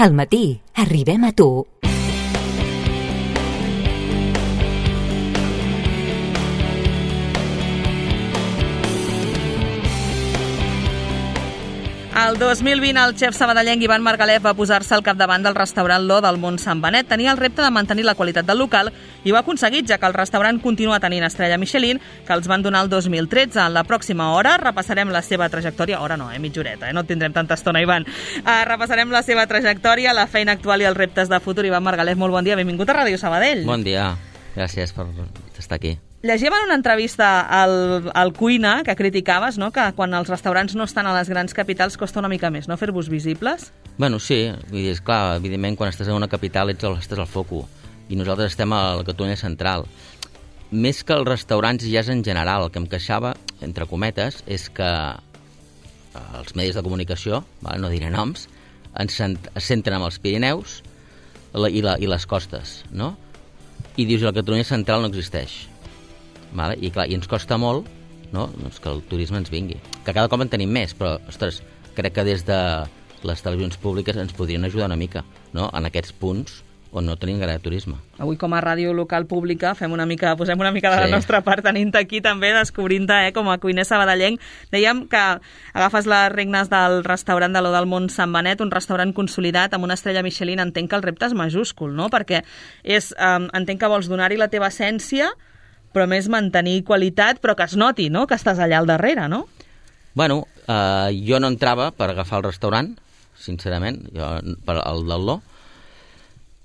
Al matí, arribem a tu. El 2020 el xef sabadellenc Ivan Margalef va posar-se al capdavant del restaurant L'O del Mont Sant Benet. Tenia el repte de mantenir la qualitat del local i ho ha aconseguit, ja que el restaurant continua tenint estrella Michelin, que els van donar el 2013. En la pròxima hora repassarem la seva trajectòria. Hora no, mitja horeta, no tindrem tanta estona, Ivan. Repassarem la seva trajectòria, la feina actual i els reptes de futur. Ivan Margalef, molt bon dia, benvingut a Ràdio Sabadell. Bon dia, gràcies per estar aquí. Llegíem en una entrevista al Cuina que criticaves, no?, que quan els restaurants no estan a les grans capitals costa una mica més, no?, fer-vos visibles. Bueno, sí, vull dir, esclar, evidentment quan estàs en una capital estàs al foco i nosaltres estem a la Catalunya central. Més que els restaurants ja és en general, el que em queixava, entre cometes, és que els medis de comunicació, no diré noms, es centren en els Pirineus i les costes, no? I dius que la Catalunya central no existeix. Vale? I clar, i ens costa molt, no?, doncs que el turisme ens vingui. Que cada cop en tenim més, però, ostres, crec que des de les televisions públiques ens podrien ajudar una mica, no?, en aquests punts on no tenim gaire turisme. Avui, com a ràdio local pública, posem una mica de la nostra part, tenint-te aquí també, descobrint-te com a cuiner sabadellenc. Dèiem que agafes les regnes del restaurant de L'O del Mont Sant Benet, un restaurant consolidat amb una estrella Michelin. Entenc que el repte és majúscul, no?, perquè entenc que vols donar-hi la teva essència, però més mantenir qualitat, però que es noti, no?, que estàs allà al darrere, no? Bueno, jo no entrava per agafar el restaurant, sincerament, per el del L'O,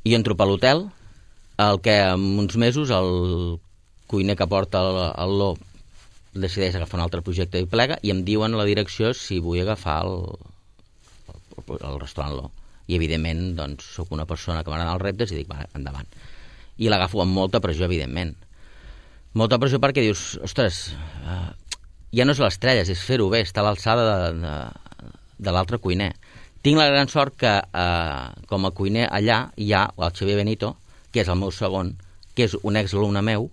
i entro per l'hotel, el que en uns mesos el cuiner que porta el L'O decideix agafar un altre projecte i plega, i em diuen a la direcció si vull agafar el restaurant L'O. I, evidentment, doncs, sóc una persona que m'agrada els reptes i dic, va, endavant. I l'agafo amb molta pressió, evidentment. Molta pressió perquè dius, ostres, ja no és l'estrella, és fer-ho bé, estar a l'alçada de l'altre cuiner. Tinc la gran sort que com a cuiner allà hi ha el Xavier Benito, que és el meu segon, que és un exalumne meu,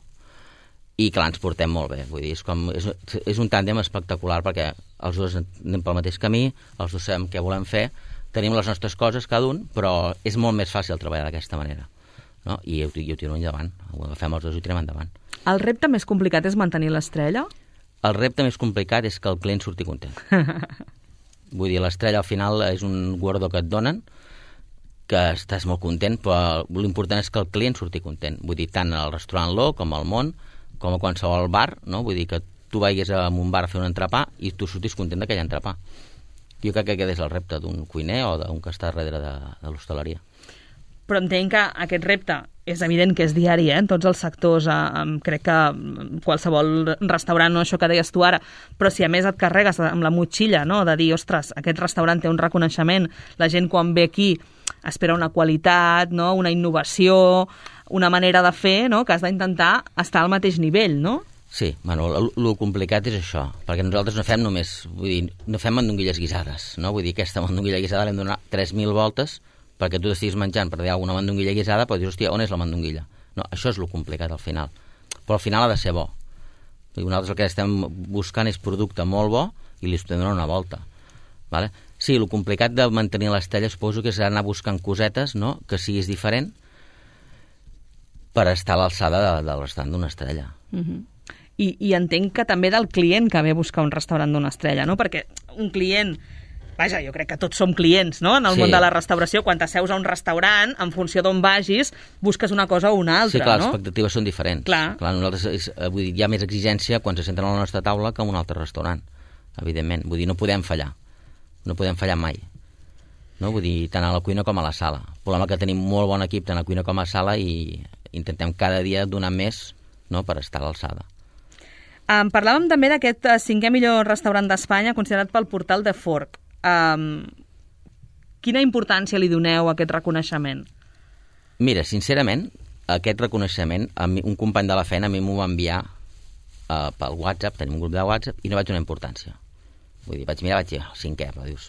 i clar, ens portem molt bé. Vull dir, és un tàndem espectacular perquè els dos anem pel mateix camí, els dos sabem què volem fer, tenim les nostres coses cada un, però és molt més fàcil treballar d'aquesta manera, no? I ho tiro endavant, ho agafem els dos i ho tirem endavant. El repte més complicat és mantenir l'estrella? El repte més complicat és que el client surti content. Vull dir, l'estrella al final és un guardó que et donen, que estàs molt content, però l'important és que el client surti content. Vull dir, tant al restaurant L'O com al Món, com a qualsevol bar, no? Vull dir que tu vagis a un bar a fer un entrepà i tu surtis content d'aquell entrepà. Jo crec que aquest és el repte d'un cuiner o d'un que està darrere de l'hostaleria. Però entenc que aquest repte és evident que és diari, en tots els sectors, crec que qualsevol restaurant, no, això que deies tu ara, però si a més et carregues amb la motxilla, no, de dir, ostres, aquest restaurant té un reconeixement, la gent quan ve aquí espera una qualitat, no, una innovació, una manera de fer, no, que has d'intentar estar al mateix nivell, no? Sí, bueno, el complicat és això, perquè nosaltres no fem només, vull dir, no fem mandonguilles guisades, no? Vull dir, aquesta mandonguilla guisada l'hem de donar 3.000 voltes perquè tu t'estiguis menjant per dir alguna mandonguilla guisada, però dius, hòstia, on és la mandonguilla? No, això és el complicat al final. Però al final ha de ser bo. Nosaltres el que estem buscant és producte molt bo i li estem donant una volta. Vale? Sí, el complicat de mantenir l'estrella suposo que és anar buscant cosetes, no?, que siguis diferent per estar a l'alçada del restaurant d'una estrella. I entenc que també del client que ve a buscar un restaurant d'una estrella, no? Perquè un client... Vaja, jo crec que tots som clients, no?, en el món de la restauració. Quan t'asseus a un restaurant, en funció d'on vagis, busques una cosa o una altra, no? Sí, clar, no? les expectatives són diferents. Clar, nosaltres, vull dir, hi ha més exigència quan se senten a la nostra taula que en un altre restaurant, evidentment. Vull dir, no podem fallar. No podem fallar mai. No? Vull dir, tant a la cuina com a la sala. El problema que tenim molt bon equip tant a la cuina com a la sala i intentem cada dia donar més, no?, per estar a l'alçada. Parlàvem també d'aquest 5è millor restaurant d'Espanya considerat pel portal de Fork. Quina importància li doneu a aquest reconeixement? Mira, sincerament, aquest reconeixement, un company de la feina a mi m'ho va enviar pel WhatsApp, tenim un grup de WhatsApp, i no vaig donar importància. Vull dir, vaig dir, 5è, però dius...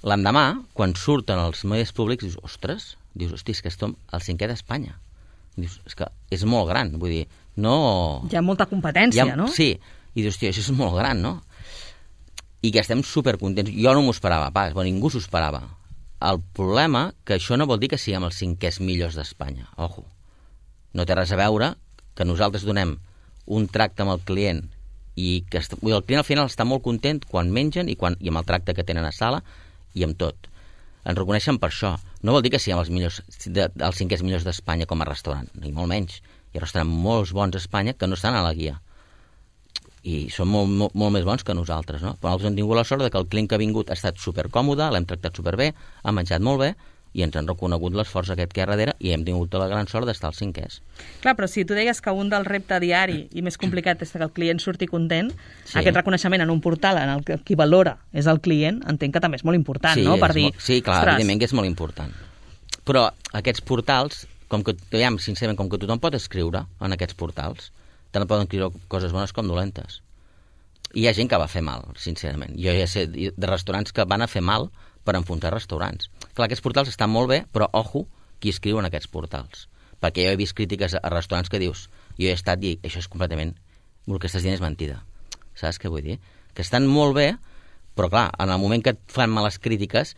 L'endemà, quan surten els medis públics, dius, ostres, és que som el 5è d'Espanya. Dius, és que és molt gran, vull dir, no... Hi ha molta competència, no? Sí, i dius, això és molt gran, no? I que estem supercontents. Jo no m'ho esperava pas, ningú s'ho esperava. el problema que això no vol dir que siguem els 5è millors d'Espanya. Ojo, no té res a veure que nosaltres donem un tracte amb el client i que el client al final està molt content quan mengen i amb el tracte que tenen a sala i amb tot. Ens reconeixen per això. No vol dir que siguem els 5è millors d'Espanya com a restaurant, ni molt menys. Hi ha restaurants molt bons a Espanya que no estan a la guia. I són molt més bons que nosaltres, no? Però nosaltres hem tingut la sort que el client que ha vingut ha estat supercòmode, l'hem tractat superbé, ha menjat molt bé, i ens han reconegut l'esforç aquest que hi ha darrere i hem tingut la gran sort d'estar als 5è. Clar, però si tu deies que un del repte diari i més complicat és que el client surti content, aquest reconeixement en un portal en el que qui valora és el client, entenc que també és molt important, no? Per dir, sí, clar, evidentment que és molt important. Però aquests portals, sincerament, com que tothom pot escriure en aquests portals, tant poden escriure coses bones com dolentes. I hi ha gent que va fer mal, sincerament. Jo ja sé de restaurants que van a fer mal per enfonsar restaurants. Clar, aquests portals estan molt bé, però ojo qui escriu en aquests portals. Perquè jo he vist crítiques a restaurants que dius, jo he estat i això és completament, el que estàs dient és mentida. Saps què vull dir? Que estan molt bé, però clar, en el moment que et fan males crítiques,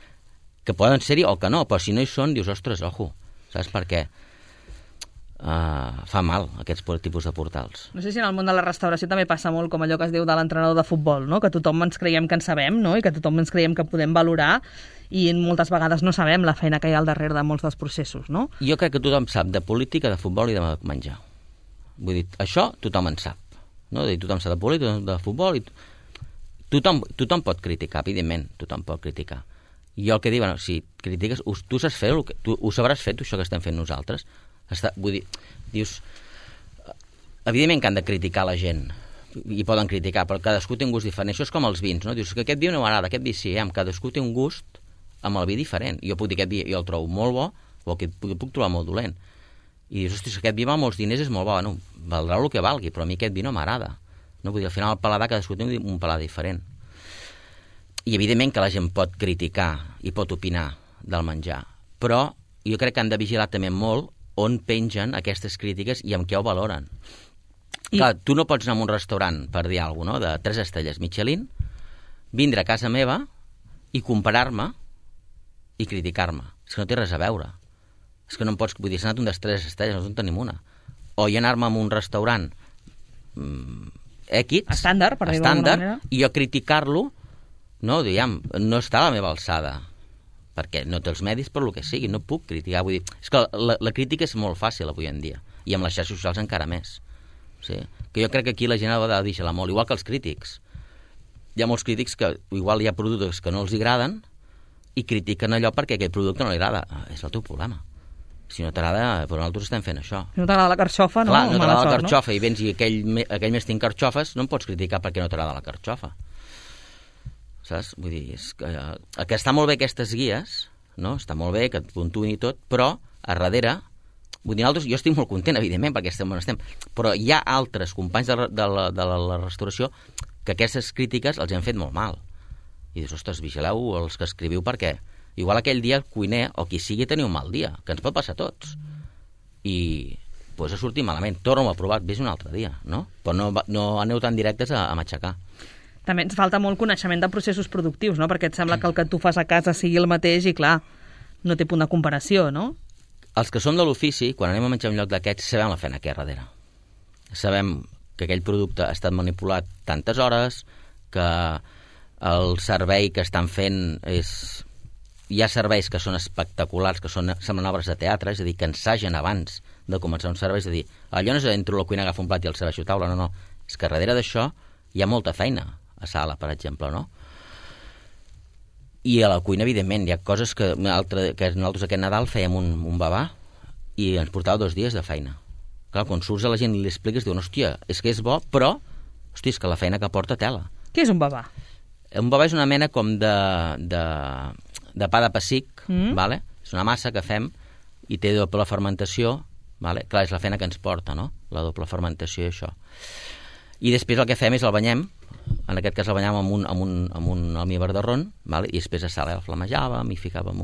que poden ser-hi o que no, però si no hi són, dius, ostres, ojo, saps per què? Fa mal aquests tipus de portals. No sé si en el món de la restauració també passa molt com allò que es diu de l'entrenador de futbol, no? Que tothom ens creiem que en sabem, no? I que tothom ens creiem que podem valorar i moltes vegades no sabem la feina que hi ha al darrere de molts dels processos, no? Jo crec que tothom sap de política, de futbol i de menjar. Vull dir, això tothom en sap, no? Tothom sap de política, de futbol i tothom pot criticar, evidentment, tothom pot criticar. Jo el que dic, si critiques, tu saps fer tu ho sabràs fer, això que estem fent nosaltres. Vull dir, dius, evidentment que han de criticar la gent i poden criticar, però cadascú té un gust diferent. Això és com els vins, no? Dius que aquest vi no m'agrada, aquest vi sí, cadascú té un gust amb el vi diferent. Jo puc dir aquest vi jo el trobo molt bo o aquest el puc trobar molt dolent. I dius, hosti, aquest vi val molts diners, és molt bo, bueno, valdrà el que valgui, però a mi aquest vi no m'agrada. No? Vull dir, al final el paladar cadascú té un paladar diferent. I evidentment que la gent pot criticar i pot opinar del menjar, però jo crec que han de vigilar també molt on pengen aquestes crítiques i amb què ho valoren. Clar, tu no pots anar a un restaurant, per dir alguna cosa, de 3 estrelles Michelin, vindre a casa meva i comparar-me i criticar-me. És que no té res a veure. És que no em pots... Vull dir, s'ha anat un de 3 estrelles, no en tenim una. O jo anar-me a un restaurant X, estàndard, per dir-ho d'alguna manera, i jo criticar-lo, no, diguem, no està a la meva alçada, perquè no té els medis per lo que sigui, no puc criticar. Vull dir, és que la crítica és molt fàcil avui en dia, i amb les xarxes socials encara més. Sí? Que jo crec que aquí la gent ha de vigilar molt, igual que els crítics. Hi ha molts crítics que igual hi ha productes que no els agraden i critiquen allò perquè aquell producte no li agrada. És el teu problema. Si no t'agrada, però nosaltres estem fent això. Si no t'agrada la carxofa, no? Clar, no t'agrada la carxofa, no? I vens i aquell mes tinc carxofes, no em pots criticar perquè no t'agrada la carxofa. Saps? Vull dir, és que està molt bé aquestes guies, no? Està molt bé que et puntuïn i tot, però a darrere, vull dir, jo estic molt content, evidentment, perquè estem on estem, però hi ha altres companys de la restauració que aquestes crítiques els han fet molt mal. I dius, ostres, vigileu els que escriviu perquè igual aquell dia el cuiner o qui sigui tenia un mal dia, que ens pot passar a tots. I doncs ha sortit malament. Torno a provar, vés un altre dia, no? Però no aneu tan directes a matxacar. També ens falta molt coneixement de processos productius, no? Perquè et sembla que el que tu fas a casa sigui el mateix i, clar, no té punt de comparació, no? Els que som de l'ofici, quan anem a menjar un lloc d'aquests, sabem la feina que hi ha darrere. Sabem que aquell producte ha estat manipulat tantes hores, que el servei que estan fent és... Hi ha serveis que són espectaculars, que semblen obres de teatre, és a dir, que ensagen abans de començar un servei, és a dir, allò no és entro a la cuina, agafa un plat i el serveixo a taula, no. És que darrere d'això hi ha molta feina a sala, per exemple, no? I a la cuina, evidentment, hi ha coses que nosaltres aquest Nadal fèiem un babà i ens portava 2 dies de feina. Clar, quan surts a la gent i li expliques, diuen, hòstia, és que és bo, però, hòstia, és que la feina que porta tela. Què és un babà? Un babà és una mena com de pa de pessic, vale? És una massa que fem i té doble fermentació, vale? Clar, és la feina que ens porta, no? La doble fermentació i això. I després el que fem és el banyem, en aquest cas el banyàvem amb un almíbar de ron, vale? I després a sal el flamejàvem i ficàvem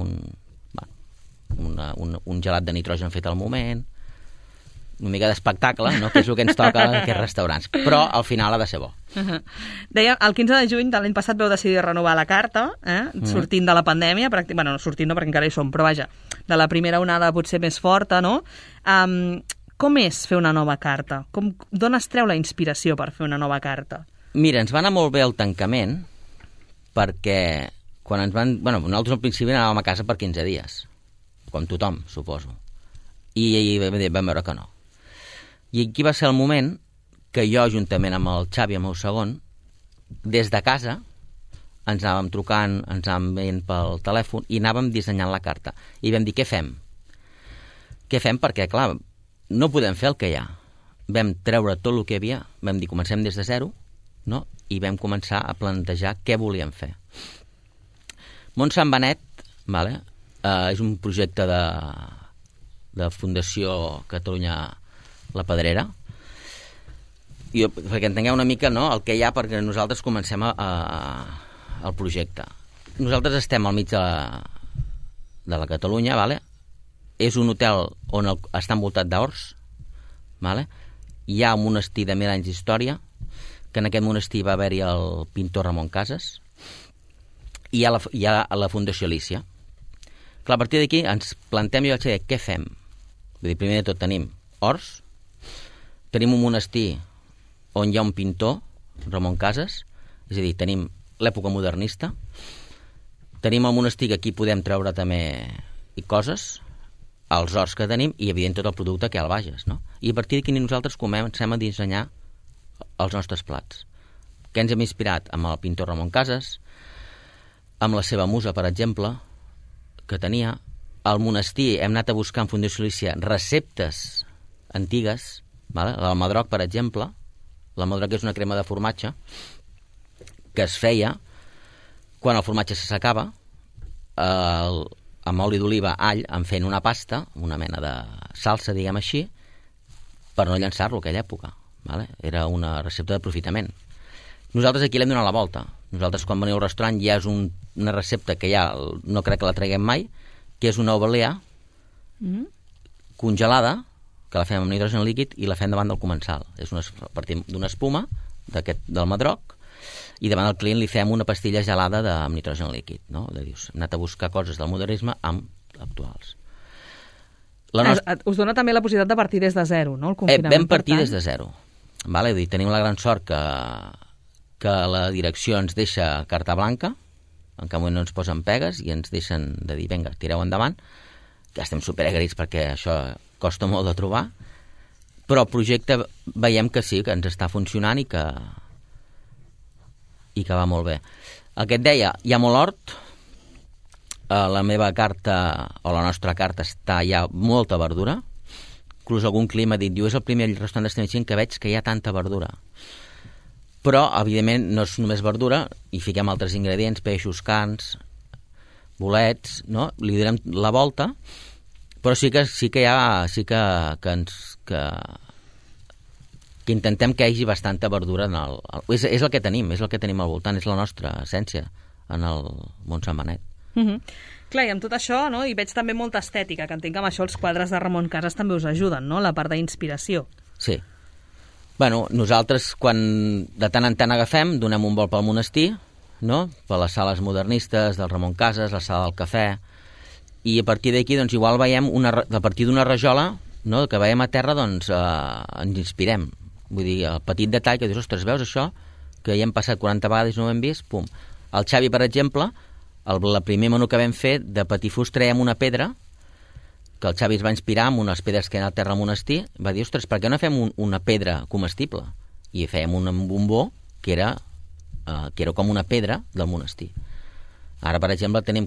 un gelat de nitrogen fet al moment. una mica d'espectacle, no? Que és el que ens toca a aquests restaurants. Però al final ha de ser bo. Deia, el 15 de juny de l'any passat vau decidir renovar la carta, sortint de la pandèmia, bueno, no sortint no, perquè encara hi som, però vaja, de la primera onada potser més forta, no? Com és fer una nova carta? D'on es treu la inspiració per fer una nova carta? Mira, ens va anar molt bé el tancament, perquè quan ens van... Bueno, nosaltres al principi anàvem a casa per 15 dies, com tothom, suposo. I vam veure que no. I aquí va ser el moment que jo, juntament amb el Xavi, el meu segon, des de casa, ens anàvem trucant, ens anàvem veient pel telèfon i anàvem dissenyant la carta. I vam dir, què fem? Què fem? Perquè, clar, no podem fer el que hi ha. Vam treure tot el que hi havia, vam dir, comencem des de zero, no? I vam començar a plantejar què volíem fer. Montsant Benet, vale? És un projecte de Fundació Catalunya La Pedrera, perquè entengueu una mica, no?, el que hi ha perquè nosaltres comencem el projecte. Nosaltres estem al mig de la Catalunya, vale? És un hotel on està envoltat d'horts, vale? Hi ha un monestir de 1000 anys d'història, que en aquest monestir va haver-hi el pintor Ramon Casas, i hi ha la Fundació Alícia. Clar, a partir d'aquí ens plantem i vaig dir, què fem? Vull dir, primer de tot tenim horts, tenim un monestir on hi ha un pintor, Ramon Casas, és a dir, tenim l'època modernista, tenim el monestir que aquí podem treure també coses, els horts que tenim i, evident, tot el producte que hi ha al Bages, no? I a partir d'aquí nosaltres comencem a dissenyar els nostres plats. Què ens hem inspirat? Amb el pintor Ramon Casas, amb la seva musa, per exemple, que tenia. Al monestir hem anat a buscar en Fundació Alícia receptes antigues, vale? L'almadroc, per exemple. L'almadroc és una crema de formatge que es feia quan el formatge s'assecava, amb oli d'oliva, all, en fent una pasta, una mena de salsa, diguem així, per no llançar-lo a aquella època. Vale? Era una recepta d'aprofitament. Nosaltres aquí l'hem donat la volta. Nosaltres, quan veniu al restaurant, ja és una recepta que ja no crec que la traguem mai, que és una ovalea congelada, que la fem amb nitrogen líquid i la fem davant del comensal. És a partir d'una espuma del madroc, i davant del client li fem una pastilla gelada amb nitrogen líquid. No? Dius, hem anat a buscar coses del modernisme amb actuals. Us dona també la possibilitat de partir des de zero, no? El confinament, vam partir des de zero. Vale? Tenim la gran sort que la direcció ens deixa carta blanca, en cap moment no ens posen pegues i ens deixen de dir, vinga, tireu endavant, que estem superagraïts perquè això costa molt de trobar, però el projecte veiem que sí, que ens està funcionant i que va molt bé. El que et deia, hi ha molt hort, la meva carta, o la nostra carta, hi ha molta verdura, inclús algun clima ha dit, diu, és el primer restaurant d'Estamagent que veig que hi ha tanta verdura. Però, evidentment, no és només verdura, hi fiquem altres ingredients, peixos, carns, bolets, no? Li donem la volta, però sí que intentem que hi hagi bastanta verdura és el que tenim, és el que tenim al voltant, és la nostra essència en el Montsant Benet. Clar, i amb tot això, no? I veig també molta estètica, que entenc que amb això els quadres de Ramon Casas també us ajuden, no? La part d'inspiració. Sí. Bueno, nosaltres, quan de tant en tant agafem, donem un vol pel monestir, no? Per les sales modernistes del Ramon Casas, la sala del cafè, i a partir d'aquí, doncs, igual veiem, a partir d'una rajola, no?, que veiem a terra, doncs, ens inspirem. Vull dir, el petit detall que dius, ostres, veus això? Que ja hem passat 40 vegades i no ho hem vist, pum. El Xavi, per exemple, el primer menú que vam fer, de patifús traiem una pedra, que el Xavi es va inspirar amb unes pedres que hi ha al terra al monestir, va dir, ostres, per què no fem una pedra comestible? I fèiem un bombó que era com una pedra del monestir. Ara, per exemple, que no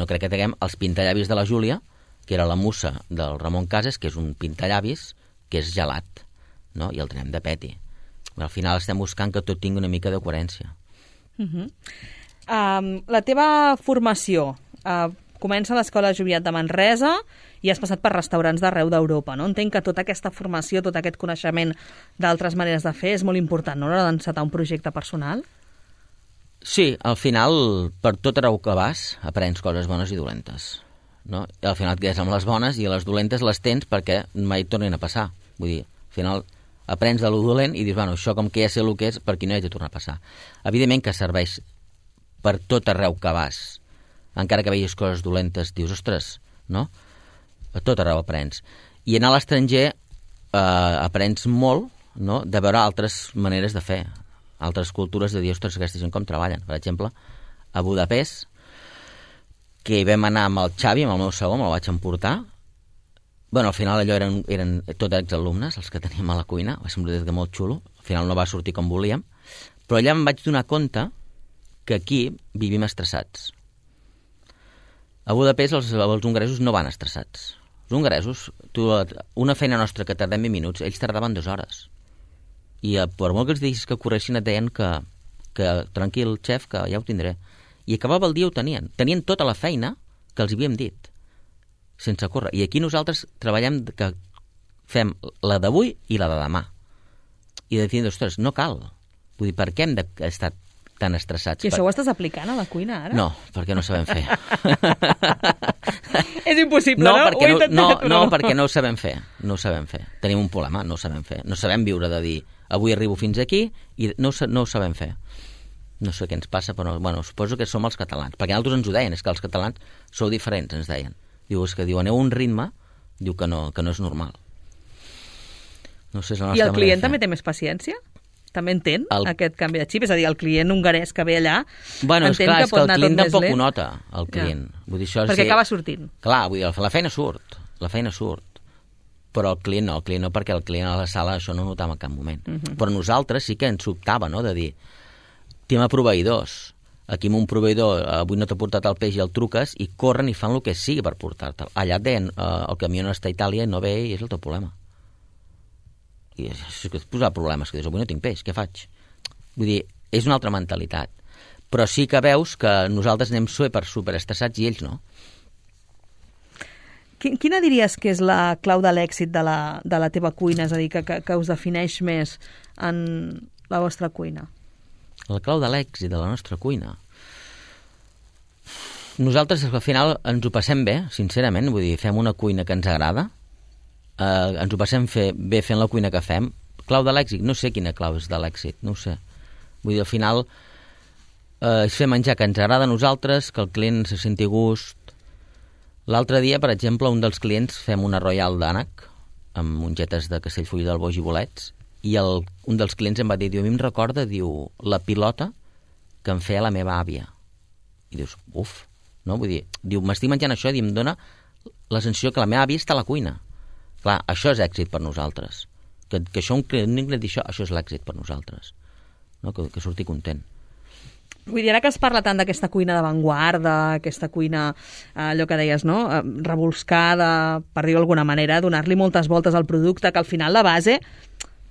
crec que tinguem els pintallavis de la Júlia, que era la musa del Ramon Casas, que és un pintallavis que és gelat, no? I el tenim de peti. Al final estem buscant que tot tingui una mica de coherència. La teva formació comença a l'Escola Joviat de Manresa i has passat per restaurants d'arreu d'Europa, no? Entenc que tota aquesta formació, tot aquest coneixement d'altres maneres de fer és molt important, no?, a l'hora d'encetar un projecte personal? Sí, al final, per tot arreu que vas, aprens coses bones i dolentes, no? I al final et quedes amb les bones i les dolentes les tens perquè mai et tornin a passar. Vull dir, al final aprens de lo dolent i dius, bueno, això com que ja sé el que és, per aquí no hi ha de tornar a passar. Evidentment que serveix per tot arreu que vas. Encara que vegis coses dolentes, dius, ostres, no? A tot arreu aprens. I anar a l'estranger aprens molt, no?, de veure altres maneres de fer, altres cultures, de dir, ostres, aquesta gent com treballen. Per exemple, a Budapest, que hi vam anar amb el Xavi, amb el meu segon, me'l vaig emportar. Bueno, al final allò eren tots exalumnes, els que teníem a la cuina, va ser un projecte molt xulo, al final no va sortir com volíem, però allà em vaig donar compte que aquí vivim estressats. A Budapest els hongaresos no van estressats. Els hongaresos, una feina nostra que tardem 20 minuts, ells tardaven 2 hores. I per molt que els diguis que corressin et deien que tranquil, xef, que ja ho tindré. I acabava el dia ho tenien. Tenien tota la feina que els havíem dit, sense córrer. I aquí nosaltres treballem que fem la d'avui i la de demà. I de dir, ostres, no cal. Vull dir, per què hem d'estar tan estressats? I això ho estàs aplicant a la cuina, ara? No, perquè no sabem fer. És impossible, no? No, perquè no ho sabem fer. No ho sabem fer. Tenim un problema, no ho sabem fer. No sabem viure de dir, avui arribo fins aquí i no ho sabem fer. No sé què ens passa, però bueno, suposo que som els catalans. Perquè nosaltres ens ho deien, és que els catalans sou diferents, ens deien. Diu, és que diu, aneu a un ritme, diu que no és normal. No sé, és la nostra manera de fer. I el client també té més paciència? També entén aquest canvi de xip? És a dir, el client hongarès que ve allà entén que pot anar tot més lent? El client tampoc ho nota, el client. Vull dir, perquè acaba sortint. Clar, vull dir, la feina surt, però el client no, perquè el client a la sala això no ho notava en cap moment. Però nosaltres sí que ens sobtava, no?, de dir, tema proveïdors. Aquí amb un proveïdor, avui no t'ha portat el peix i el truques i corren i fan el que sigui per portar-te'l. Allà et deien, el camió no està a Itàlia i no ve i és el teu problema. I és que et posa problemes, que dius, avui no tinc peix, què faig? Vull dir, és una altra mentalitat. Però sí que veus que nosaltres anem superestressats i ells no. Quina diries que és la clau de l'èxit de la teva cuina? És a dir, que us defineix més en la vostra cuina? La clau de l'èxit de la nostra cuina. Nosaltres al final ens ho passem bé, sincerament, vull dir, fem una cuina que ens agrada, ens ho passem bé fent la cuina que fem. Clau de l'èxit? No sé quina clau és de l'èxit, no ho sé. Vull dir, al final és fer menjar que ens agrada a nosaltres, que el client se senti a gust. L'altre dia, per exemple, un dels clients fem una Royal d'ànec amb mongetes de Castellfollit del Boix i bolets, i un dels clients em va dir, a mi em recorda, diu, la pilota que em feia la meva àvia. I dius, uf, no? Vull dir, diu, m'estic menjant això i em dona la sensació que la meva àvia està a la cuina. Clar, això és èxit per nosaltres. Que això un client digui això és l'èxit per nosaltres. No? Que surti content. Vull dir, ara que es parla tant d'aquesta cuina d'avantguarda, aquesta cuina, allò que deies, no?, revolscada, per dir-ho d'alguna manera, donar-li moltes voltes al producte, que al final la base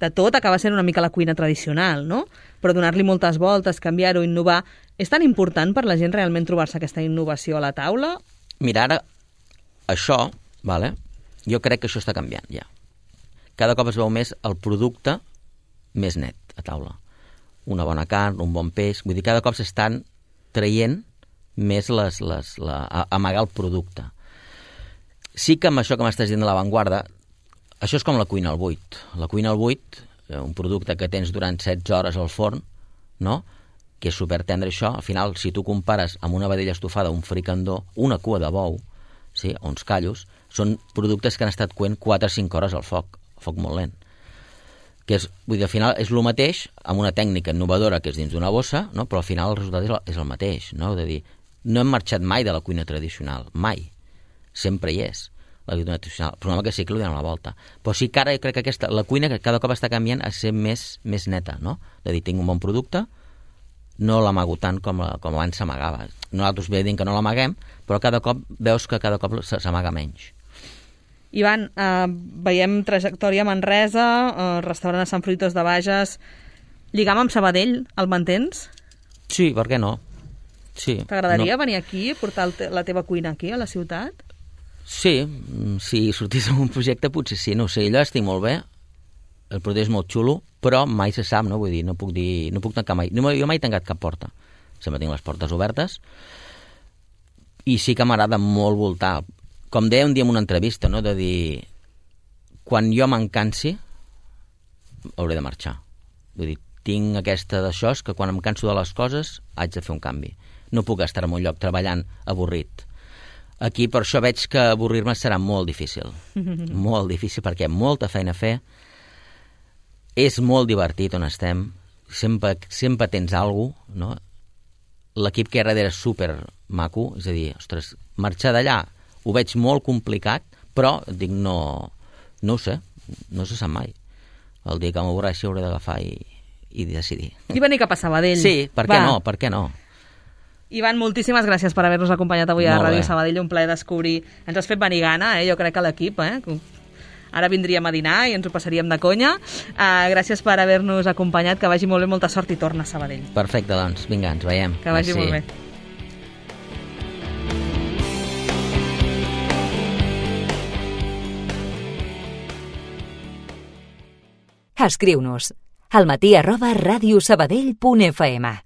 de tot acaba sent una mica la cuina tradicional, no? Però donar-li moltes voltes, canviar-ho, innovar... És tan important per la gent realment trobar-se aquesta innovació a la taula? Mira, ara, això, vale? Jo crec que això està canviant, ja. Cada cop es veu més el producte més net a taula. Una bona carn, un bon peix... Vull dir, cada cop s'estan traient més amagar el producte. Sí que amb això que m'estàs dient de l'avantguarda, això és com la cuina al buit. La cuina al buit, un producte que tens durant 16 hores al forn, no?, que és supertendre això, al final, si tu compares amb una vedella estofada, un fricandó, una cua de bou, sí, o uns callos, són productes que han estat cuent 4 o 5 hores al foc molt lent. Que és, vull dir, al final és el mateix, amb una tècnica innovadora que és dins d'una bossa, no?, però al final el resultat és el mateix, no? De dir, no hem marxat mai de la cuina tradicional, mai. Sempre hi és la cuina tradicional. El problema que sí que li donem la volta. Però sí que ara jo crec que la cuina que cada cop està canviant a ser més neta, no? De dir, tinc un bon producte, no l'amago tant com abans s'amagava. Nosaltres bé dient que no l'amaguem, però cada cop veus que cada cop s'amaga menys. Ivan, veiem trajectòria a Manresa, restaurant a Sant Fruitós de Bages, lligam amb Sabadell, el mantens? Sí, per què no? Sí. T'agradaria venir aquí, portar la teva cuina aquí, a la ciutat? Sí, si sortís amb un projecte potser sí, no sé, allò estic molt bé, el producte és molt xulo, però mai se sap, no? Vull dir, no puc tancar mai, jo mai he tancat cap porta, sempre tinc les portes obertes, i sí que m'agrada molt voltar, com deia un dia en una entrevista, no?, de dir, quan jo m'encansi, hauré de marxar. Vull dir, tinc aquesta d'això, que quan em canso de les coses haig de fer un canvi. No puc estar en un lloc treballant avorrit. Aquí per això veig que avorrir-me serà molt difícil. Molt difícil, perquè hi ha molta feina a fer. És molt divertit on estem. Sempre tens alguna cosa, no? L'equip que hi ha darrere és super maco, és a dir, ostres, marxar d'allà ho veig molt complicat, però dic, no ho sé, no se sap mai. El dia que m'avorreixi hauré d'agafar i decidir. I venir cap a Sabadell. Sí, per què no? Ivan, moltíssimes gràcies per haver-nos acompanyat avui a Molt Ràdio bé. Sabadell, un plaer descobrir. Ens has fet venir gana, jo crec, a l'equip, Ara vindríem a dinar i ens ho passaríem de conya. Gràcies per haver-nos acompanyat, que vagi molt bé, molta sort i torna a Sabadell. Perfecte, doncs, vinga, ens veiem. Que vagi molt bé. Escriu-nos almatí@radiosabadell.fm